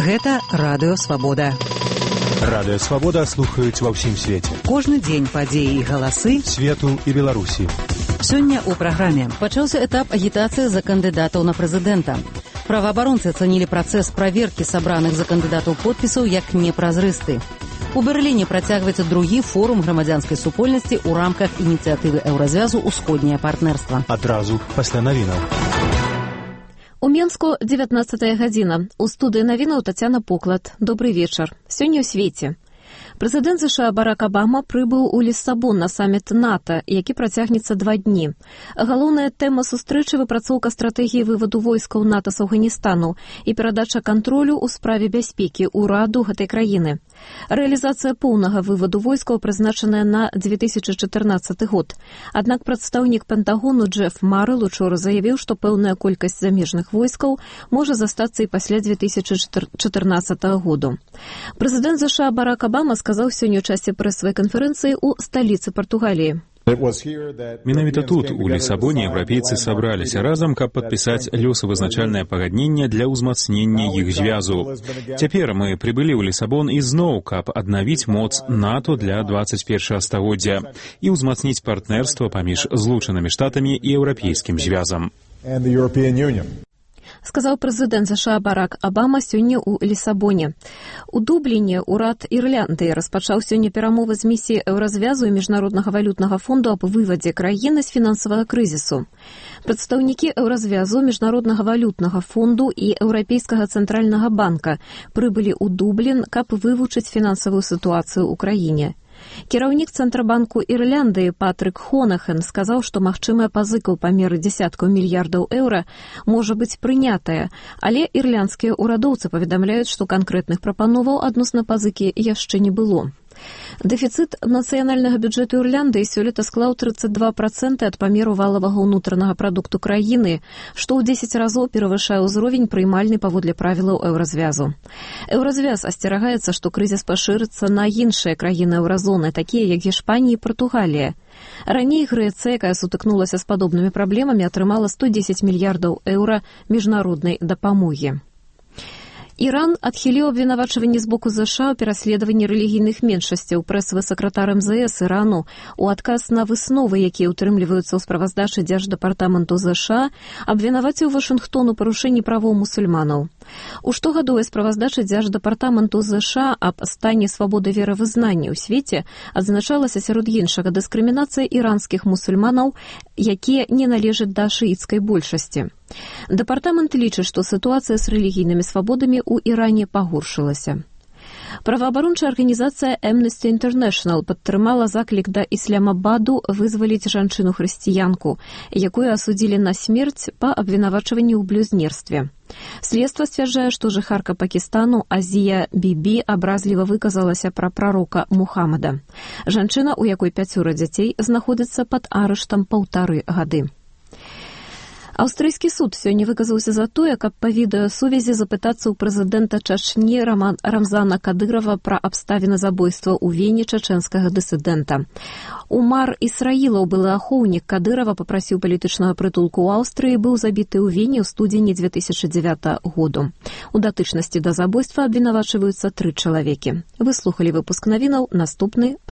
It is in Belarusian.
Гэта Радыё Свабода. Радыё Свабода слухаюць ва ўсім свеце. Кожны дзень падзеі і галасы свету і Беларусі. Сёння ў праграме пачаўся этап агітацыі за кандыдатаў на прэзідэнта. Праваабаронцы ацанілі працэс праверкі сабраных за кандыдатаў подпісаў як непразрысты. У Берліне працягваецца другі форум грамадзянскай супольнасці ў рамках ініцыятывы Еўразвязу «Усходняе партнерства». Адразу пасля навінаў. У Менску 19 гадзіна. У студыі навінаў Тацяна Поклад. Добрый вечар. Сёння ў свеце. Прэзідэнт США Барак Абама прыбыў у Ліссабон на саміт НАТО, які працягнецца 2 дні. Галоўная тэма сустрэчы – выпрацоўка стратэгіі вываду войскаў НАТО з Афганістану і перадача кантролю ў справе бяспекі ўраду гэтай краіны. Рэалізацыя поўнага вываду войскаў прызначаная на 2014 год. Аднак прадстаўнік Пентагону Джеф Марэл учора заявіў, што пэўная колькасць замежных войскаў можа застацца і пасля 2014 году. Прэзідэнт США Барак Абама сказаў сёння ў часе прэсавай канферэнцыі ў сталіцы Партугаліі. Менавіта тут, у Лісабоне, еўрапейцы сабраліся разам, каб падпісаць лёсавызначальнае пагадненне для ўзмацнення іх звязу. Цяпер мы прыбылі ў Лісабон ізноў, каб аднавіць моц НАТО для 21 стагоддзя і ўзмацніць партнерства паміж Злучанымі Штатамі і Еўрапейскім звязам. Сказаў прэзідэнт США Барак Абама сёння ў Лісабоне. У Дубліне ўрад Ірландыі распачаў сёння перамовы з місіяй Еўразвязу і Міжнароднага валютнага фонду аб вывадзе краіны з фінансавага крызісу. Прадстаўнікі Еўразвязу, Міжнароднага валютнага фонду і Еўрапейскага цэнтральнага банка прыбылі ў Дублін, каб вывучыць фінансавую сітуацыю ў краіне. Кіраўнік Цэнтрабанку Ірландыі Патрык Хонахен сказаў, што магчымая пазыка ў памеры дзесяткаў мільярдаў еўра можа быць прынятая, але ірландскія ўрадоўцы паведамляюць, што канкрэтных прапановаў адносна пазыкі яшчэ не было. Дэфіцыт нацыянальнага бюджэту Ірландыі сёлета склаў 32% ад памеру валавага ўнутранага прадукту краіны, што ў 10 разоў перавышае ўзровень прыймальны паводле правілаў Еўразвязу. Еўразвяз асцерагаецца, што крызіс пашырыцца на іншыя краіны еўразоны, такія як Гішпанія і Партугалія. Раней Грэцыя, якая сутыкнулася з падобнымі праблемамі, атрымала 110 мільярдаў еўра міжнароднай дапамогі. Іран адхіліў абвінавачванні з боку ЗША ў пераследаванні рэлігійных меншасцяў. Прэсавы сакратар МЗС Ірану у адказ на высновы, якія ўтрымліваюцца ў справаздачы Дзярждэпартаменту ЗША, абвінаваціў Вашынгтон у парушэнні правоў мусульманаў. У штогадовай справаздачы Дзярждэпартаменту ЗША аб стане свабоды веравызнання ў свеце адзначалася сярод іншага дыскрымінацыя іранскіх мусульманаў, якія не належаць да шыіцкай большасці. Дэпартамент лічыць, што сітуацыя з рэлігійнымі свабодамі ў Іране пагоршылася. Праваабарончая арганізацыя Amnesty International падтрымала заклік да Ісламабаду вызваліць жанчыну-хрысціянку, якую асудзілі на смерць па абвінавачванні ў блюзнерстве. Следства сцвярджае, што жыхарка Пакістану Азія Бібі абразліва выказалася пра прарока Мухаммада. Жанчына, у якой 5 дзяцей, знаходзіцца пад арыштам 1,5 гады. Аўстрыйскі суд сёння выказаўся за тое, каб па відэасувязі запытацца ў прэзідэнта Чачні Рамзана Кадырова пра абставіны забойства ў Вене чачэнскага дысідэнта. Умар Ісраілаў, былы ахоўнік Кадырова, папрасіў палітычнага прытулку ў Аўстрыі, быў забіты ў Вене ў студзені 2009 году. У датычнасці да забойства абвінавачваюцца 3 чалавекі. Вы слухалі выпуск навінаў, наступны